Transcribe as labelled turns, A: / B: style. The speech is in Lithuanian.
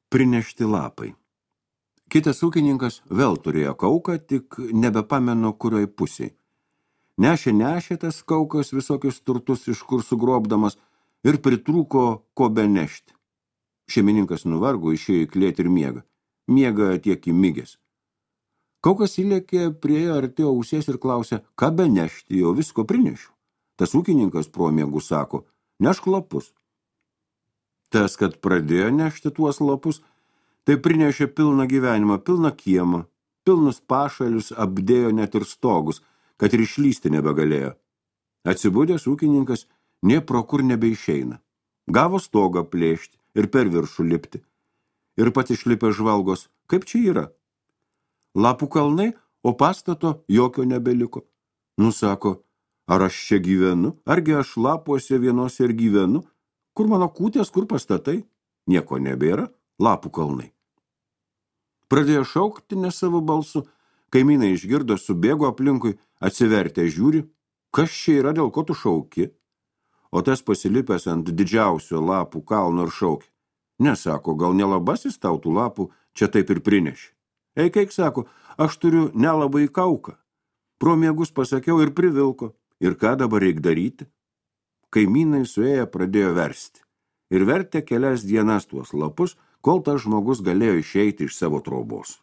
A: Prinešti lapai. Kitas ūkininkas vėl turėjo kauką, tik nebepamenu kurioj pusiai. Nešė tas kaukas visokius turtus iš kur sugrobdamas ir pritrūko ko benešti. Šeimininkas nuvargo, išėjo į klėtį ir miega. Miega tiek įmigęs. Kaukas įlėkė, priejo artėjo ausies ir klausė, ką benešti, jo visko prinešiu. Tas ūkininkas pro miegų sako, nešk lapus. Tas, kad pradėjo nešti tuos lapus, tai prinešė pilną gyvenimą, pilną kiemą, pilnus pašalius, apdėjo net ir stogus, kad ir išlysti nebegalėjo. Atsibudęs ūkininkas nė pro kur nebeišeina. Gavo stogą plėšti ir per viršų lipti. Ir pats išlipę žvalgos, kaip čia yra. Lapų kalnai, o pastato jokio nebeliko. Nusako, ar aš čia gyvenu, argi aš lapuose vienose ir gyvenu, kur mano kūtės, kur pastatai, nieko nebėra, lapų kalnai. Pradėjo šaukti ne savo balsu, kaimynai išgirdo, subėgo aplinkui, atsivertė žiūri, kas čia yra, dėl ko tu šauki. O tas pasilipęs ant didžiausio lapų kalno ir šaukė. Nesako, gal nelabasis tau tų lapų čia taip ir prinešė. Eik, sako, aš turiu nelabai kauką. Pro miegus pasakiau ir privilko. Ir ką dabar reik daryti? Kaimynai suėję pradėjo versti. Ir vertė kelias dienas tuos lapus, kol tas žmogus galėjo išeiti iš savo trobos.